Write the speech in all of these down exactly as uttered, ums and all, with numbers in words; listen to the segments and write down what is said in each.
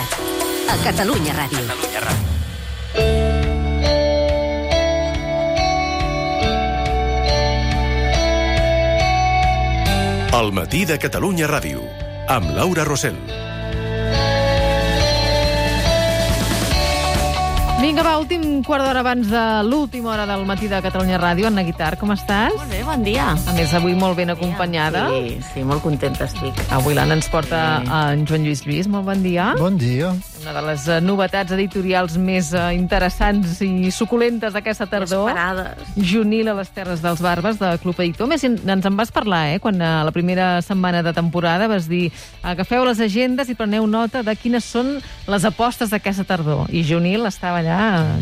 Montserrat. A Catalunya Ràdio. Catalunya Ràdio. El matí de Catalunya Ràdio, amb Laura Rosell. Vinga, va, últim quart d'hora abans de l'última hora del matí de Catalunya Ràdio. Anna Guitar, com estàs? Molt bé, bon dia. A més, avui molt ben acompanyada. Sí, sí, molt contenta estic. Avui l'Anna ens porta Sí. en Joan Lluís Lluís. Molt bon dia. Bon dia. Una de les eh, novetats editorials més eh, interessants i suculentes d'aquesta tardor. Esperades. Junil a les Terres dels Barbes, de Club Editor. Més, ens en vas parlar, eh? Quan a la primera setmana de temporada vas dir agafeu les agendes i preneu nota de quines són les apostes d'aquesta tardor. I Junil estava allà,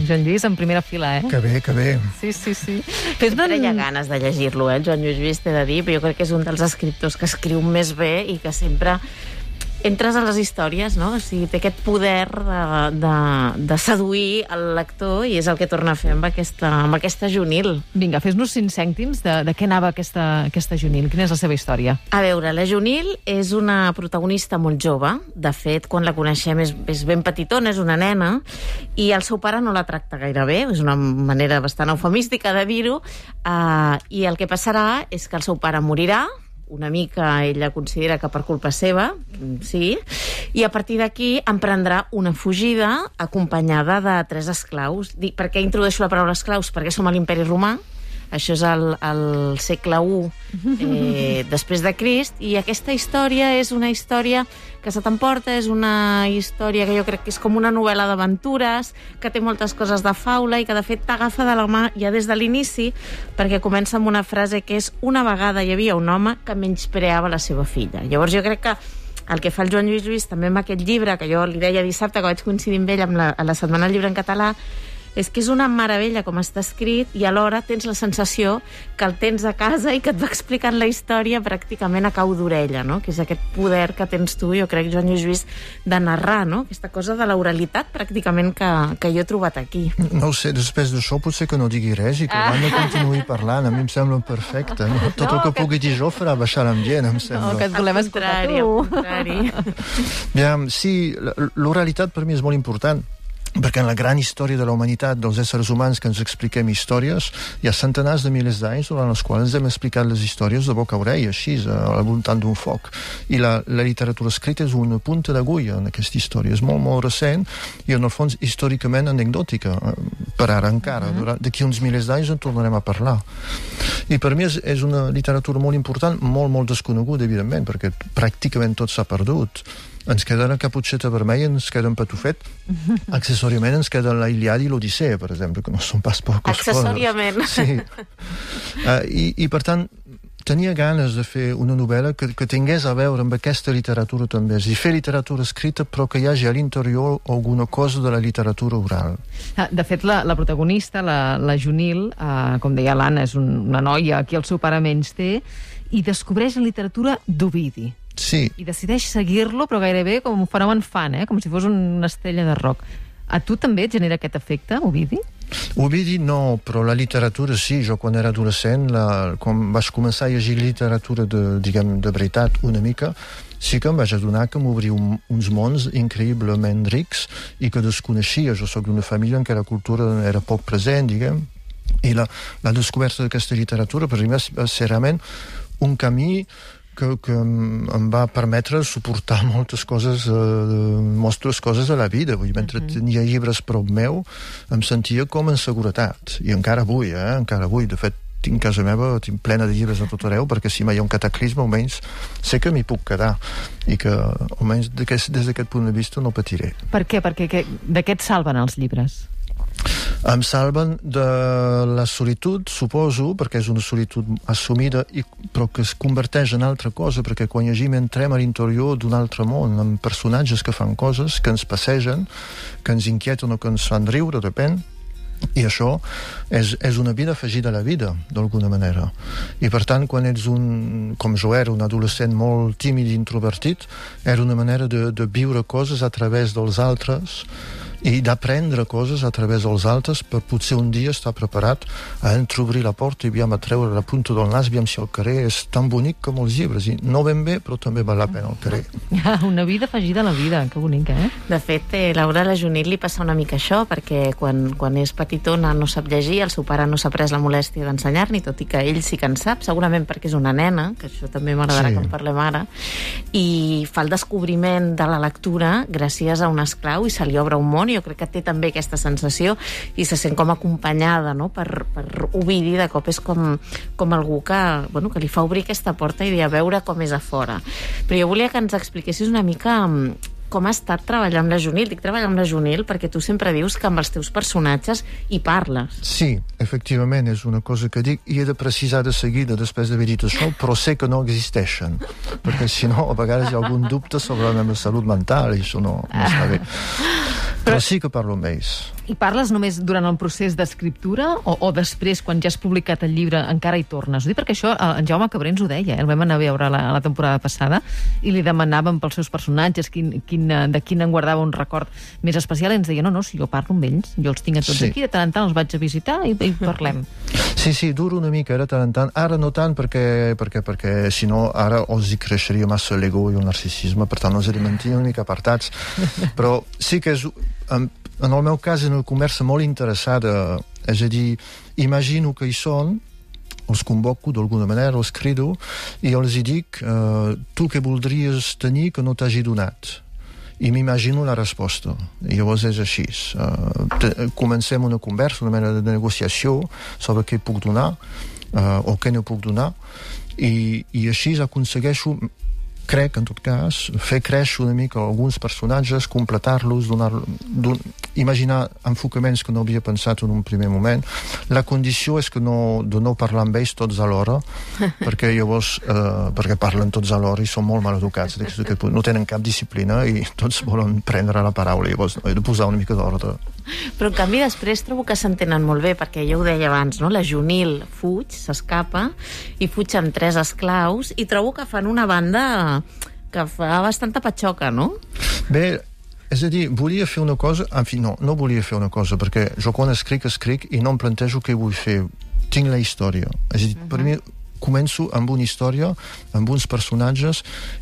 Joan Lluís, en primera fila, eh? Que bé, que bé. Sí, sí, sí. Fes-me... Sempre hi ha ganes de llegir-lo, eh? El Joan Lluís Lluís, t'he de dir, però jo crec que és un dels escriptors que escriu més bé i que sempre entres a les històries, no? O sigui, té aquest poder de, de, de seduir el lector i és el que torna a fer amb aquesta, amb aquesta Junil. Vinga, fes-nos cinc cèntims de, de què anava aquesta, aquesta Junil. Quina és la seva història? A veure, la Junil és una protagonista molt jove. De fet, quan la coneixem és, és ben petitona, és una nena, i el seu pare no la tracta gaire bé, és una manera bastant eufemística de dir-ho, uh, i el que passarà és que el seu pare morirà, una mica ella considera que per culpa seva, sí, i a partir d'aquí emprendrà una fugida acompanyada de tres esclaus. Dic, per què introdueixo la paraula esclaus? Perquè som a l'Imperi Romà, això és el, el segle u eh, després de Crist, i aquesta història és una història que se t'emporta, és una història que jo crec que és com una novel·la d'aventures, que té moltes coses de faula i que de fet t'agafa de la mà ja des de l'inici, perquè comença amb una frase que és: una vegada hi havia un home que menyspreava la seva filla. Llavors jo crec que el que fa el Joan Lluís Lluís també amb aquest llibre, que jo li deia dissabte que vaig coincidir amb ell amb la, a la Setmana del Llibre en Català, és que és una meravella com està escrit i alhora tens la sensació que el tens a casa i que et va explicant la història pràcticament a cau d'orella, no? Que és aquest poder que tens tu, jo crec, Joan Lluís Lluís, de narrar, no? Aquesta cosa de l'oralitat pràcticament que, que jo he trobat aquí. No ho sé, després d'això potser que no digui res i que ah. l'Anna continuï parlant. A mi em sembla perfecte. No? Tot no, el que, que pugui dir jo farà baixar l'ambient, em sembla. No, que et volem escoltar tu. Al contrari. Bien, sí, l'oralitat per mi és molt important, perquè en la gran història de la humanitat, dels éssers humans que ens expliquem històries, hi ha centenars de milers d'anys durant els quals ens hem explicat les històries de boca a orella, així, al voltant d'un foc. I la, la literatura escrita és una punta d'agulla en aquesta història. És molt, molt recent i, en el fons, històricament anecdòtica, per ara encara. Mm-hmm. D'aquí uns milers d'anys en tornarem a parlar. I per mi és, és una literatura molt important, molt, molt desconeguda, evidentment, perquè pràcticament tot s'ha perdut. Ens queda la Caputxeta Vermella, ens queda un Patufet. Accessòriament ens queda la Ilíada i l'Odissea, per exemple, que no són pas poques coses. Accessòriament. Sí. Uh, i, I, per tant, tenia ganes de fer una novel·la que, que tingués a veure amb aquesta literatura també. És a dir, fer literatura escrita, però que hi hagi a l'interior alguna cosa de la literatura oral. De fet, la, la protagonista, la, la Junil, eh, com deia l'Anna, és un, una noia que el seu pare menys té, i descobreix la literatura d'Ovidi. Sí. I decideix seguir-lo, però gairebé com un fenomen fan, eh? Com si fos una estrella de rock. A tu també et genera aquest efecte, Ovidi? Ovidi no, però la literatura sí. Jo quan era adolescent, la, quan vaig començar a llegir literatura de, diguem, de veritat una mica, sí que em vaig adonar que m'obriu un, uns mons increïblement rics i que desconeixia. Jo soc d'una família en què la cultura era poc present, diguem, i la, la descoberta d'aquesta literatura per mi va ser realment un camí que, que em va permetre suportar moltes coses, eh, moltes coses a la vida. Vull dir, mentre mm-hmm. tenia llibres prop meu, em sentia com en seguretat. I encara avui, eh? Encara avui. De fet, tinc casa meva tinc plena de llibres a tot arreu, perquè si mai hi ha un cataclisme, almenys sé que m'hi puc quedar. I que, almenys, des d'aquest punt de vista, no patiré. Per què? Perquè que, de què et salven els llibres? Em salven de la solitud, suposo, perquè és una solitud assumida, i, però que es converteix en altra cosa, perquè quan llegim entrem a l'interior d'un altre món, amb personatges que fan coses, que ens passegen, que ens inquieten o que ens fan riure, depèn, i això és, és una vida afegida a la vida, d'alguna manera. I per tant, quan ets un, com jo era, un adolescent molt tímid i introvertit, era una manera de, de viure coses a través dels altres, i d'aprendre coses a través dels altres per potser un dia estar preparat a entreobrir la porta i aviam a treure la punta del nas, aviam si el carrer és tan bonic com els llibres, i no ben bé, però també val la pena el carrer. Ah, una vida afegida a la vida, que bonica, eh? De fet, eh, Laura, a la Junit li passa una mica això, perquè quan, quan és petitona no sap llegir, el seu pare no s'ha pres la molèstia d'ensenyar-ni, tot i que ell sí que en sap, segurament perquè és una nena, que això també m'agradarà sí. que en parlem ara, i fa el descobriment de la lectura gràcies a un esclau i se li obre un món, i jo crec que té també aquesta sensació i se sent com acompanyada, no? per, per Ovidi, de cop és com, com algú que, bueno, que li fa obrir aquesta porta i dir a veure com és a fora. Però jo volia que ens expliquessis una mica com ha estat treballar amb la Junil. Dic treballar amb la Junil perquè tu sempre dius que amb els teus personatges hi parles. Sí, efectivament, és una cosa que dic i he de precisar de seguida després d'haver dit això, però sé que no existeixen, perquè si no a vegades hi ha algun dubte sobre la meva salut mental i això no, no està bé. Però sí que parlo amb ells. I parles només durant el procés d'escriptura o, o després, quan ja has publicat el llibre, encara hi tornes? Ho dic perquè això en Jaume Cabré ens ho deia, eh? El vam anar a veure la, la temporada passada i li demanàvem pels seus personatges quin, quin, de quin en guardava un record més especial i ens deia, no, no, si jo parlo amb ells, jo els tinc a tots sí. aquí, de tant en tant els vaig a visitar i, i parlem. Sí, sí, dura una mica, era tant en tant. Ara no tant perquè, perquè, perquè si no, ara els hi creixeria massa l'ego i el narcisisme, per tant els he de mantenir una mica apartats. Però sí que és... En, en el meu cas, és una conversa molt interessada, és a dir, imagino que hi són, els convoco d'alguna manera, els crido, i els hi dic, eh, tu què voldries tenir que no t'hagi donat? I m'imagino la resposta. I llavors és així. Uh, te, comencem una conversa, una mena de negociació sobre què puc donar uh, o què no puc donar, i, i així aconsegueixo, crec, en tot cas, fer créixer una mica alguns personatges, completar-los, donar, don, imaginar enfocaments que no havia pensat en un primer moment. La condició és que no, de no parlar amb ells tots alhora, perquè llavors, eh, perquè parlen tots alhora i són molt mal educats, no tenen cap disciplina i tots volen prendre la paraula, llavors he de posar una mica d'ordre. Però en canvi després trobo que s'entenen molt bé, perquè ja ho deia abans, no? La Junil fuig, s'escapa i fuig amb tres esclaus i trobo que fan una banda que fa bastanta patxoca, no? Bé, és a dir, volia fer una cosa, en fi, no, no volia fer una cosa, perquè jo quan escric, escric i no em plantejo què vull fer. Tinc la història. És a dir, uh-huh. per mi començo amb una història, amb uns personatges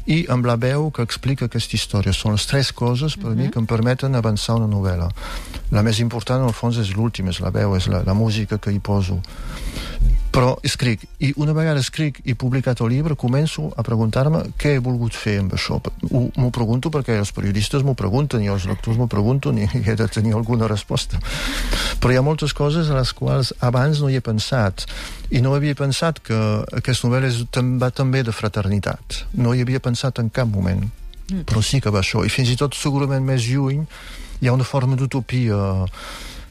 i amb la veu que explica aquesta història. Són les tres coses per uh-huh. mi que em permeten avançar una novel·la. La més important, en el fons, és l'última, és la veu, és la, la música que hi poso. Però escric, i una vegada escric i publicat el llibre, començo a preguntar-me què he volgut fer amb això. M'ho pregunto perquè els periodistes m'ho pregunten i els lectors m'ho pregunten i he de tenir alguna resposta. Però hi ha moltes coses a les quals abans no hi he pensat. I no havia pensat que aquesta novel·la és, va també de fraternitat. No hi havia pensat en cap moment. Mm. Però sí que va això. I fins i tot segurament més lluny hi ha una forma d'utopia.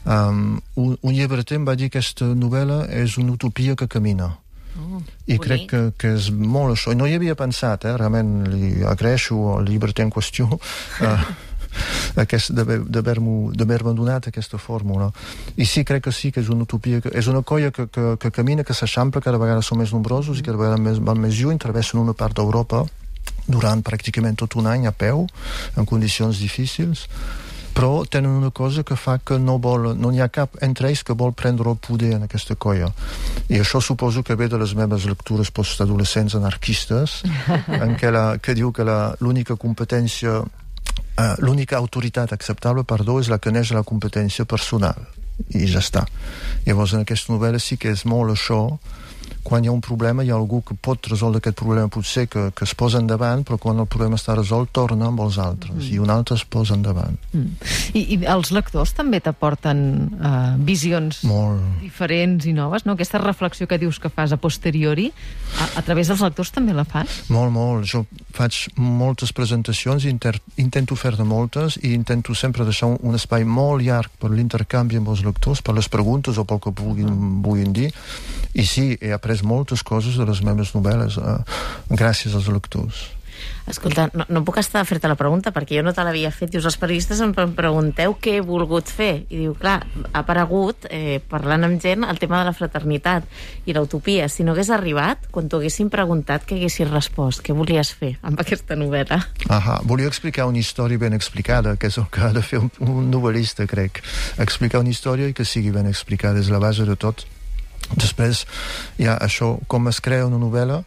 Um, un, un llibreter em va dir que aquesta novel·la és una utopia que camina. Oh, I bonic. Crec que, que és molt això. I no hi havia pensat, eh? Realment li agraeixo al llibreter en qüestió uh, aquest, d'haver-me donat aquesta fórmula. I sí, crec que sí, que és una utopia, que, és una colla que, que, que camina, que s'eixampla, cada vegada són més nombrosos i cada vegada més, van més lluny, travessen una part d'Europa durant pràcticament tot un any a peu, en condicions difícils, però tenen una cosa que fa que no vol, no n'hi ha cap entre ells que vol prendre el poder en aquesta colla. I això suposo que ve de les meves lectures postadolescents anarquistes, en què, la, que diu que la, l'única competència, uh, l'única autoritat acceptable, perdó, és la que neix de la competència personal. I ja està. Llavors, en aquesta novel·la sí que és molt això. Quan hi ha un problema, hi ha algú que pot resoldre aquest problema, potser que, que es posa endavant, però quan el problema està resolt, torna amb els altres, mm. i un altre es posa endavant. Mm. I, I els lectors també t'aporten uh, visions Molt. diferents i noves, no? Aquesta reflexió que dius que fas a posteriori, a, a través dels lectors també la fas? Molt, molt. Jo faig moltes presentacions, inter, intento fer-ne moltes, i intento sempre deixar un, un espai molt llarg per l'intercanvi amb els lectors, per les preguntes o pel que puguin, mm. vulguin dir, i sí, he après moltes coses de les meves novel·les eh, gràcies als lectors. Escolta, no, no puc estar a fer-te la pregunta perquè jo no te l'havia fet. Dius, els periodistes em pregunteu què he volgut fer. I diu, clar, ha aparegut, eh, parlant amb gent, el tema de la fraternitat i l'utopia. Si no hagués arribat, quan t'ho haguessin preguntat, què haguessis respost? Què volies fer amb aquesta novel·la? Ahà, volia explicar una història ben explicada, que és el que ha de fer un, un novel·lista, crec. Explicar una història i que sigui ben explicada, és la base de tot. Després, ja, això, com es crea una novel·la,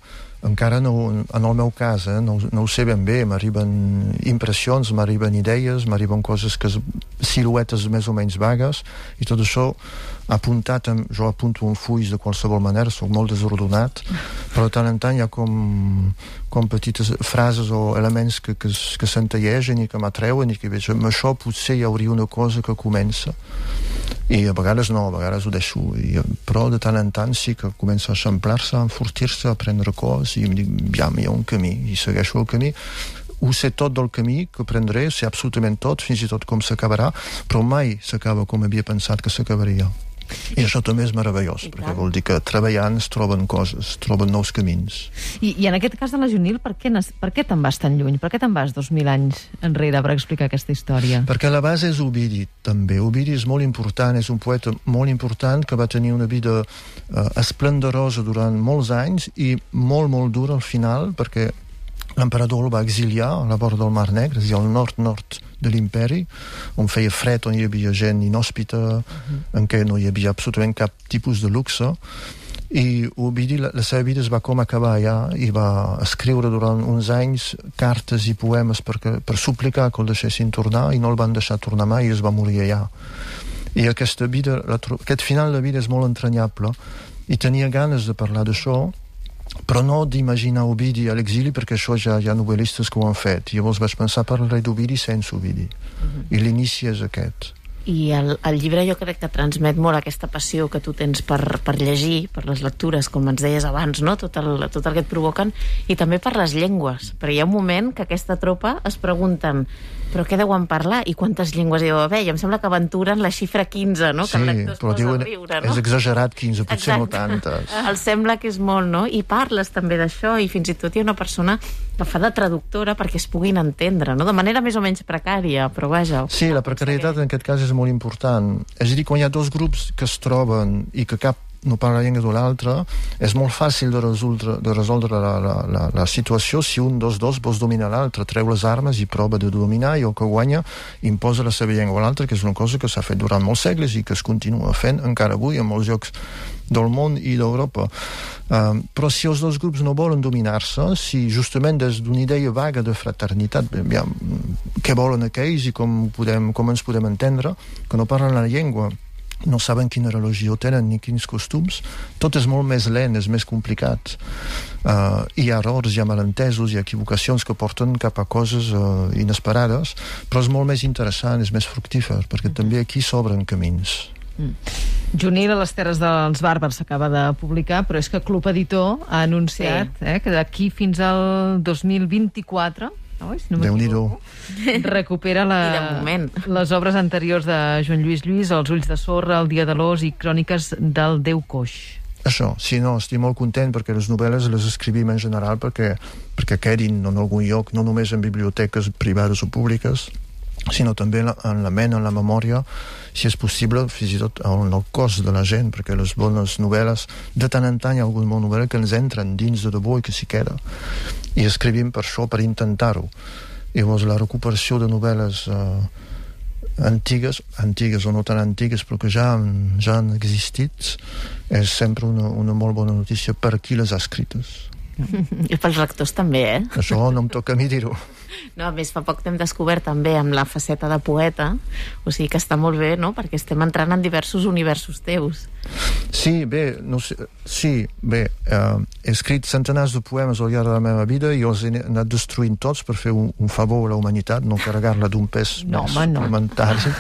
encara no, en el meu cas, eh, no, no ho sé ben bé, m'arriben impressions, m'arriben idees, m'arriben coses que siluetes més o menys vagues, i tot això apuntat, amb, jo apunto un fulls de qualsevol manera, soc molt desordenat, però de tant en tant hi ha com, com petites frases o elements que, que, que s'entallegen i que m'atreuen i que veig, amb això potser hi hauria una cosa que comença, i a vegades no, a vegades ho deixo, i, però de tant en tant sí que comença a eixamplar-se, a enfortir-se, a prendre cos, i em dic, ja, hi ha un camí, i segueixo el camí. Ho sé tot del camí que prendré, sé absolutament tot, fins i tot com s'acabarà, però mai s'acaba com havia pensat que s'acabaria. I això també és meravellós, I perquè tant. Vol dir que treballant es troben coses, es troben nous camins. I, i en aquest cas de la Junil, per què, per què te'n vas tan lluny? Per què te'n vas dos mil anys enrere per explicar aquesta història? Perquè la base és Ovidi, també. Ovidi és molt important, és un poeta molt important que va tenir una vida eh, esplendorosa durant molts anys i molt, molt dura al final, perquè l'emperador el va exiliar a la vora del Mar Negre, és a dir, al nord-nord de l'imperi, on feia fred, on hi havia gent inhòspita, uh-huh. en què no hi havia absolutament cap tipus de luxe, i Ovidi, la, la seva vida es va com acabar allà, i va escriure durant uns anys cartes i poemes per, per suplicar que el deixessin tornar, i no el van deixar tornar mai, i es va morir allà. I aquesta vida, la, aquest final de vida és molt entranyable, i tenia ganes de parlar d'això, però no d'imaginar Ovidi a l'exili, perquè això ja hi ha novel·listes que ho han fet. Llavors vaig pensar parlar d'Ovidi sense Ovidi. Uh-huh. I l'inici és aquest. I el, el llibre jo crec que transmet molt aquesta passió que tu tens per, per llegir, per les lectures, com ens deies abans, no? Tot el, tot el que et provoquen, i també per les llengües. Perquè hi ha un moment que aquesta tropa es pregunten però què deuen parlar i quantes llengües hi deu haver? I em sembla que aventuren la xifra quinze, no? Sí, que el lector es però posa diuen, a riure, no? és exagerat quinze, potser Exacte. no tantes. Els sembla que és molt, no? I parles també d'això, i fins i tot hi ha una persona que fa de traductora perquè es puguin entendre, no? De manera més o menys precària, però vaja. Sí, la precarietat en aquest cas és molt important. És a dir, quan hi ha dos grups que es troben i que cap no parla la llengua de l'altre, és molt fàcil de resoldre, de resoldre la, la, la, la situació si un dels dos vols dominar l'altre, treu les armes i prova de dominar, i el que guanya imposa la seva llengua a l'altre, que és una cosa que s'ha fet durant molts segles i que es continua fent encara avui en molts llocs del món i d'Europa. Um, però si els dos grups no volen dominar-se, si justament des d'una idea vaga de fraternitat, ja, què volen aquells i com, podem, com ens podem entendre, que no parlen la llengua, no saben quina religió tenen ni quins costums, tot és molt més lent, és més complicat. Uh, hi ha errors, hi ha malentesos, hi ha equivocacions que porten cap a coses uh, inesperades, però és molt més interessant, és més fructífer, perquè també aquí s'obren camins. Mm. Junil a les Terres dels Bàrbars s'acaba de publicar, però és que Club Editor ha anunciat sí. eh, que d'aquí fins al dos mil vint-i-quatre no, si no Déu-n'hi-do. recupera la, les obres anteriors de Joan Lluís Lluís, Els ulls de sorra, El dia de l'ós i Cròniques del Déu coix. Això, sí, no, estic molt content perquè les novel·les les escrivim en general perquè, perquè quedin en algun lloc, no només en biblioteques privades o públiques, sinó també en la ment, en la memòria, si és possible, fins i tot en el cos de la gent, perquè les bones novel·les, de tant en tant hi ha alguna bona novel·la que ens entren dins de debò i que s'hi queda. I escrivim per això, per intentar-ho. Llavors, la recuperació de novel·les eh, antigues, antigues o no tan antigues, però que ja, ja han existit, és sempre una, una molt bona notícia per qui les ha escrites. I pels lectors també, eh? Això no em toca a mi dir-ho. No, a més, fa poc t'hem descobert també amb la faceta de poeta, o sigui que està molt bé, no?, perquè estem entrant en diversos universos teus. Sí, bé, no sé, sí, bé, eh, he escrit centenars de poemes al llarg de la meva vida i els he anat destruint tots per fer un, un favor a la humanitat, no carregar-la d'un pes no, més home, no. suplementari.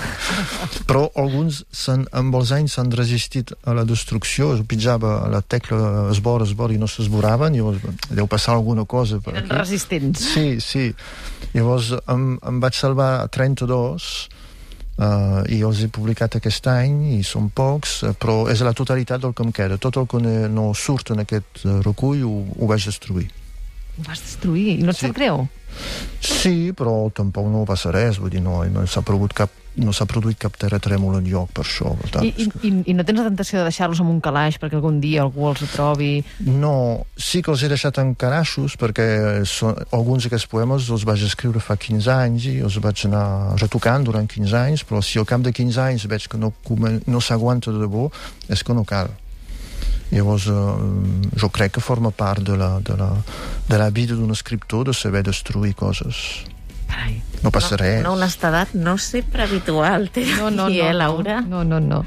Però alguns amb els anys s'han resistit a la destrucció, es pitjava a la tecla esbor, esbor i no s'esboraven, llavors deu passar alguna cosa per Eren aquí. resistents. Sí, sí. Llavors em, em vaig salvar trenta-dos uh, i els he publicat aquest any i són pocs, uh, però és la totalitat del que em queda. Tot el que no surt en aquest uh, recull ho, ho vaig destruir. Ho vas destruir i no et Sí. sap greu? Sí, però tampoc no passa res, vull dir, no, no s'ha produït cap no s'ha produït cap terratrèmol enlloc per això. Per tant, I, i, I no tens la tentació de deixar-los en un calaix perquè algun dia algú els trobi? No, sí que els he deixat en caraixos perquè són, alguns d'aquests poemes els vaig escriure fa quinze anys i els vaig anar retocant durant quinze anys, però si al cap de quinze anys veig que no, no s'aguanta de debò, és que no cal. Llavors, eh, jo crec que forma part de la, de la, de la vida d'un escriptor de saber destruir coses. Carai. No passa no, res. Una honestedat no sempre habitual, t'he de No, no, dir, no, eh, Laura? no, no, no.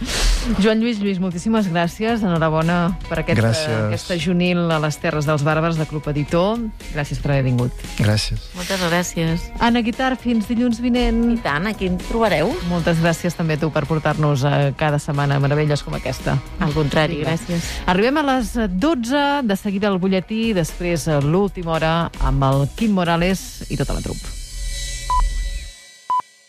Joan Lluís Lluís, moltíssimes gràcies. Enhorabona per aquest, Gràcies. aquesta junil a les Terres dels Bàrbars de Club Editor. Gràcies per haver vingut. Gràcies. Moltes gràcies. Anna Guitar, fins dilluns I vinent. tant, aquí ens trobareu. Moltes gràcies també a tu per portar-nos a cada setmana meravelles com aquesta. Al contrari, Vinga. gràcies. Arribem a les dotze, de seguida el butlletí, després a l'última hora amb el Quim Morales i tota la trup.